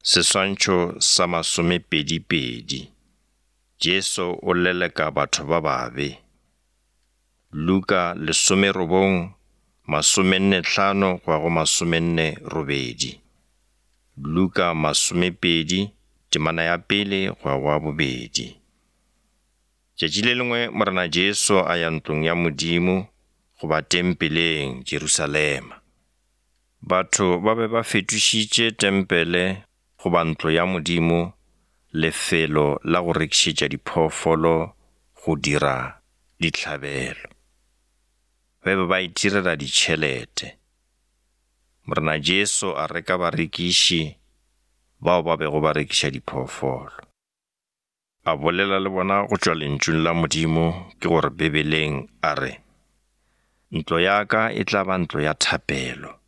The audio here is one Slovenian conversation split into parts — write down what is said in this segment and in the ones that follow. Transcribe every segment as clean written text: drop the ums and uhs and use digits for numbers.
Seswantšho sa 22. Jesu o leleka batho ba babe. Luka 19:45-48. Luka 20, temana ya 1-2. Tšatši le lengwe morena Jesu a ya ntlong ya Modimo go ba tempeleng Jerusalema. Batho ba be ba fetošitše tempele go ba ntlo ya Modimo, lefelo la go rekišetša diphoofolo go dira dihlabelo. Ba be ba itirela ditšhelete. Morena Jesu a reka barekiši bao ba bego ba rekiša diphoofolo. A bolela le bona go tšwa lentšung la Modimo ke gore Bibeleng a re, ntlo ya ka e tla ba ntlo ya thapelo.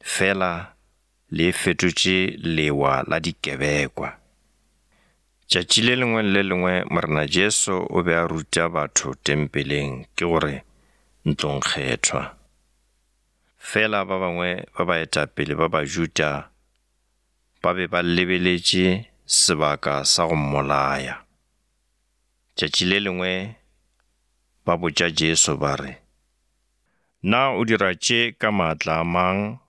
Fela le fetotše lewa la dikebekwa. Tšatši le lengwe le lengwe morena Jesu o be a ruta batho tempeleng ke gore ntlong kgethwa. Fela ba bangwe ba baetapele ba Bajuda ba be ba lebeletše sebaka sa go mmolaya. Tšatši le lengwe ba botša Jesu ba re, na o dira tše ka maatla a mang?